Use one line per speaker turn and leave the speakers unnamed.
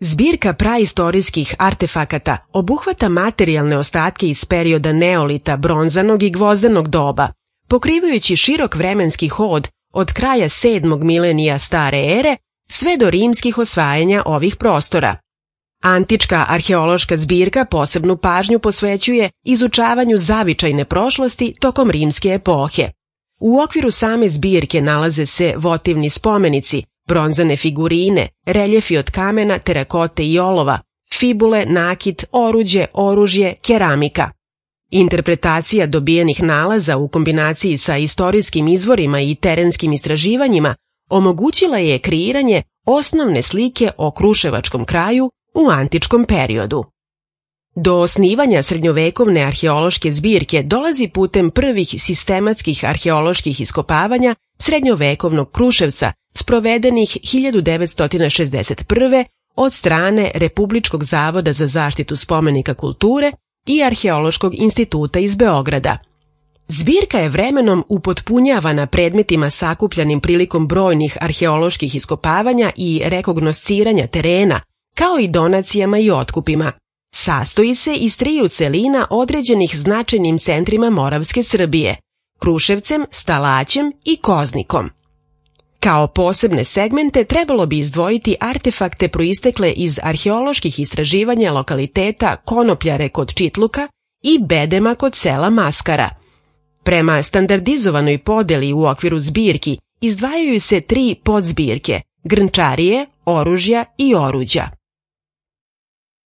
Zbirka praistorijskih artefakata obuhvata materijalne ostatke iz perioda neolita, bronzanog i gvozdenog doba, pokrivajući širok vremenski hod od kraja 7. milenija stare ere sve do rimskih osvajanja ovih prostora. Antička arheološka zbirka posebnu pažnju posvećuje izučavanju zavičajne prošlosti tokom rimske epohe. U okviru same zbirke nalaze se votivni spomenici, bronzane figurine, reljefi od kamena, terakote i olova, fibule, nakit, oruđe, oružje, keramika. Interpretacija dobijenih nalaza u kombinaciji sa istorijskim izvorima i terenskim istraživanjima omogućila je kreiranje osnovne slike o kruševačkom kraju u antičkom periodu. Do osnivanja srednjovekovne arheološke zbirke dolazi putem prvih sistematskih arheoloških iskopavanja srednjovekovnog Kruševca sprovedenih 1961. od strane Republičkog zavoda za zaštitu spomenika kulture i Arheološkog instituta iz Beograda. Zbirka je vremenom upotpunjavana predmetima sakupljanim prilikom brojnih arheoloških iskopavanja i rekognosciranja terena, kao i donacijama i otkupima. Sastoji se iz 3 celina određenih značajnim centrima Moravske Srbije, Kruševcem, Stalaćem i Koznikom. Kao posebne segmente trebalo bi izdvojiti artefakte proistekle iz arheoloških istraživanja lokaliteta Konopljare kod Čitluka i Bedema kod sela Maskara. Prema standardizovanoj podeli u okviru zbirki izdvajaju se 3 podzbirke – grnčarije, oružja i oruđa.